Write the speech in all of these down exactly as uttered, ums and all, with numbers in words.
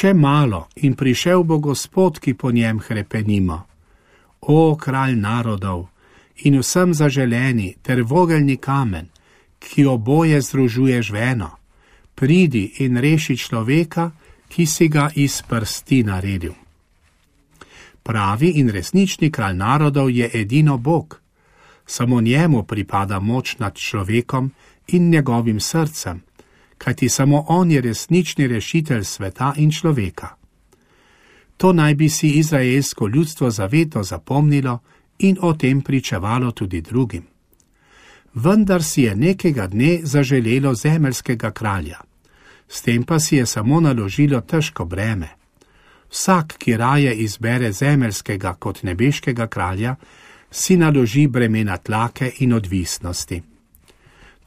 Še malo in prišel bo Gospod, ki po njem hrepenimo. O, kralj narodov in vsem zaželeni ter vogelni kamen, ki oboje združuješ v eno, pridi in reši človeka, ki si ga iz prsti naredil. Pravi in resnični kralj narodov je edino Bog. Samo njemu pripada moč nad človekom in njegovim srcem, kajti samo on je resnični rešitelj sveta in človeka. To naj bi si izraelsko ljudstvo zaveto zapomnilo in o tem pričevalo tudi drugim. Vendar si je nekega dne zaželelo zemeljskega kralja. S tem pa si je samo naložilo težko breme. Vsak, ki raje izbere zemeljskega kot nebeškega kralja, si naloži bremena tlake in odvisnosti.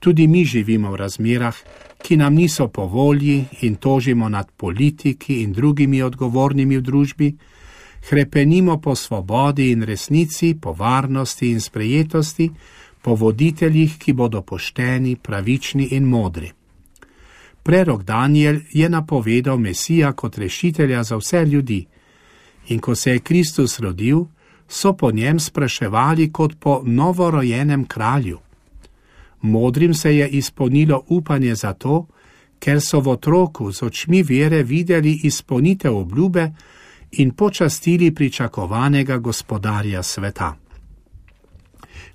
Tudi mi živimo v razmerah, ki nam niso po volji in tožimo nad politiki in drugimi odgovornimi v družbi, hrepenimo po svobodi in resnici, po varnosti in sprejetosti, po voditeljih, ki bodo pošteni, pravični in modri. Prerok Daniel je napovedal Mesija kot rešitelja za vse ljudi in ko se je Kristus rodil, so po njem spraševali kot po novorojenem kralju. Modrim se je izpolnilo upanje zato, ker so v otroku z očmi vere videli izpolnitev obljube in počastili pričakovanega gospodarja sveta.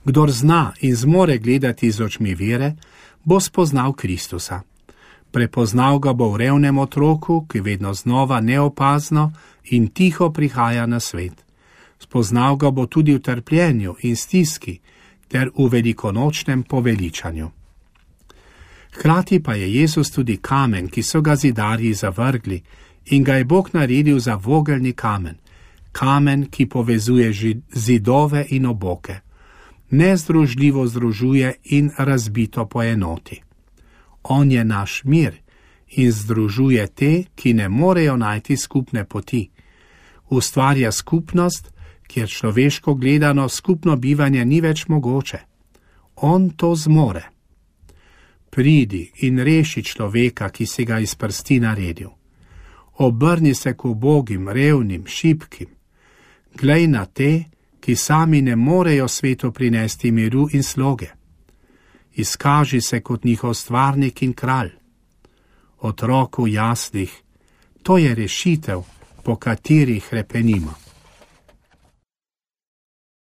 Kdor zna in zmore gledati z očmi vere, bo spoznal Kristusa. Prepoznal ga bo v revnem otroku, ki vedno znova neopazno in tiho prihaja na svet. Spoznal ga bo tudi v trpljenju in stiski ter v velikonočnem poveličanju. Hkrati pa je Jezus tudi kamen, ki so ga zidarji zavrgli in ga je Bog naredil za vogelni kamen, kamen, ki povezuje zidove in oboke, nezdružljivo združuje in razbito poenoti. On je naš mir in združuje te, ki ne morejo najti skupne poti. Ustvarja skupnost, kjer človeško gledano skupno bivanje ni več mogoče. On to zmore. Pridi in reši človeka, ki si ga iz prsti naredil. Obrni se k ubogim, revnim, šibkim. Glej na te, ki sami ne morejo svetu prinesti miru in sloge. Izkaži se kot njihov stvarnik in kralj. Otroku jaslih, to je rešitev, po kateri hrepenimo.